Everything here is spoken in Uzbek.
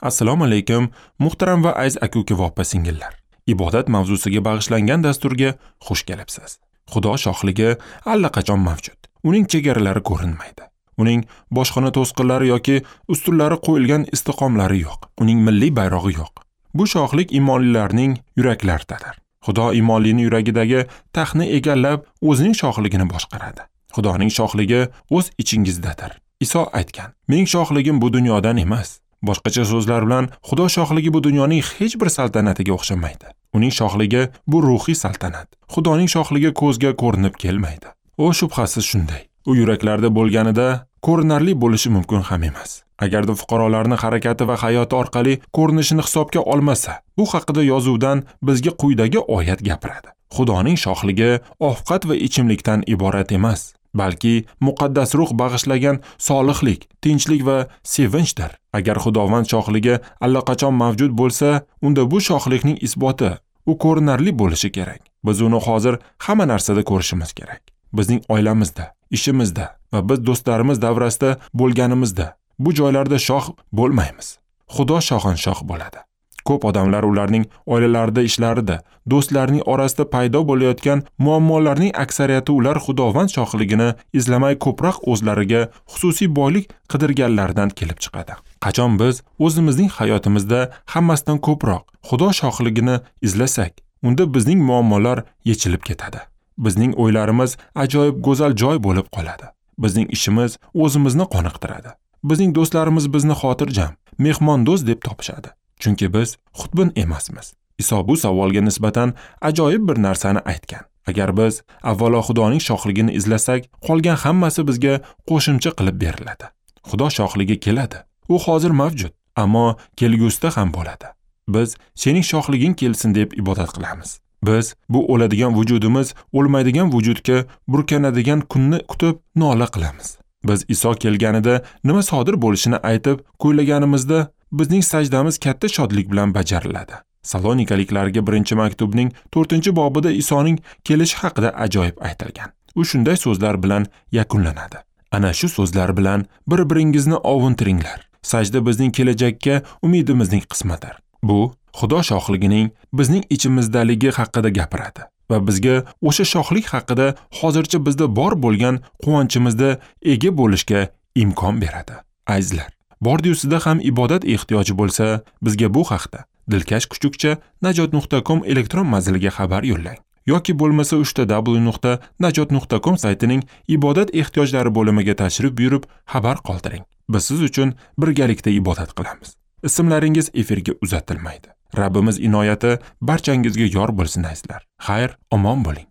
Assalomu alaykum, muhtaram va aziz aka-uka va opa-singillar. Ibodat mavzusiga bag'ishlangan dasturga xush kelibsiz. Xudo shohligi allaqachon mavjud. Uning chegaralari ko'rinmaydi. Uning boshxona to'sqinlari yoki ustunlari qo'yilgan istiqomlari yo'q. Uning milliy bayrog'i yo'q. Bu shohlik imonlilarning yuraklaridadir. Xudo imonlining yuragidagi taxtni egallab, o'zining shohligini boshqaradi. Xudoning shohligi o'z ichingizdadir. Iso aytgan: "Mening shohligim bu dunyodan emas." Boshqacha so'zlar bilan, Xudo shohligi bu dunyoning hech bir saltanatiga o'xshamaydi. Uning shohligi bu ruhiy saltanat. Xudoning shohligi ko'zga ko'rinib kelmaydi. U shubhasiz shunday. U yuraklarda bo'lganida ko'rinarli bo'lishi mumkin ham emas. Agarda fuqarolarning harakati va hayoti orqali ko'rinishini hisobga olmasa, bu haqida yozuvdan bizga quyidagi oyat gapiradi. Xudoning shohligi ovqat va ichimlikdan iborat emas, balki muqaddas ruh bag'ishlagan solihlik, tinchlik va sevinchdir. Agar Xudovand shohligi allaqachon mavjud bo'lsa, unda bu shohlikning isboti u ko'rinarli bo'lishi kerak. Biz uni hozir hamma narsada ko'rishimiz kerak. Bizning oilamizda, ishimizda va biz do'stlarimiz davrasida bo'lganimizda bu joylarda shoh bo'lmaymiz. Xudo shohinshoh bo'ladi. Ko'p odamlar ularning oilalarida, ishlarida, do'stlarining orasida paydo bo'layotgan muammolarning aksariyati ular Xudovand shohligini izlamay ko'proq o'zlariga xususiy boylik qidirganlaridan kelib chiqadi. Qachon biz o'zimizning hayotimizda hammasidan ko'proq Xudo shohligini izlasak, unda bizning muammolar yechilib ketadi. Bizning o'ylarimiz ajoyib go'zal joy bo'lib qoladi. Bizning ishimiz o'zimizni qoniqtiradi. Bizning do'stlarimiz bizni xotirjam, mehmondo'st deb topishadi. Chunki biz xudbin emasmiz. Iso bu savolga nisbatan ajoyib bir narsani aytgan. Agar biz avvalo Xudoning shohligini izlasak, qolgan hammasi bizga qo'shimcha qilib beriladi. Xudo shohligi keladi. U hozir mavjud, ammo kelgusida ham bo'ladi. Biz sening shohliging kelsin deb ibodat qilamiz. Biz bu o'ladigan vujudimiz o'lmaydigan vujudga burkanadigan kunni kutib nola qilamiz. Biz Iso kelganida nima sodir bo'lishini aytib kuylaganimizda bizning sajdamiz katta shodlik bilan bajariladi. Salonikaliklarga 1-maktubning 4-bobida Isoning kelishi haqida ajoyib aytilgan. U shunday so'zlar bilan yakunlanadi. Ana shu so'zlar bilan bir-biringizni ovuntiringlar. Sajda bizning kelajakka umidimizning qismidir. Bu Xudo shohligining bizning ichimizdaligi haqida gapiradi va bizga o'sha shohlik haqida hozircha bizda bor bo'lgan quvonchimizda ega bo'lishga imkon beradi. Azizlar, bordiyu sizda ham ibodat ehtiyoji bo'lsa, bizga bu haqda dilkash kuchukcha najot.com elektron manziliga xabar yo'llang yoki bo'lmasa www.najot.com saytining ibodat ehtiyojlari bo'limiga tashrif buyurib xabar qoldiring. Biz siz uchun birgalikda ibodat qilamiz. Ismlaringiz efirga uzatilmaydi. Rabbimiz inoyati barchangizga yor bo'lsin azizlar. Xayr, omon bo'ling.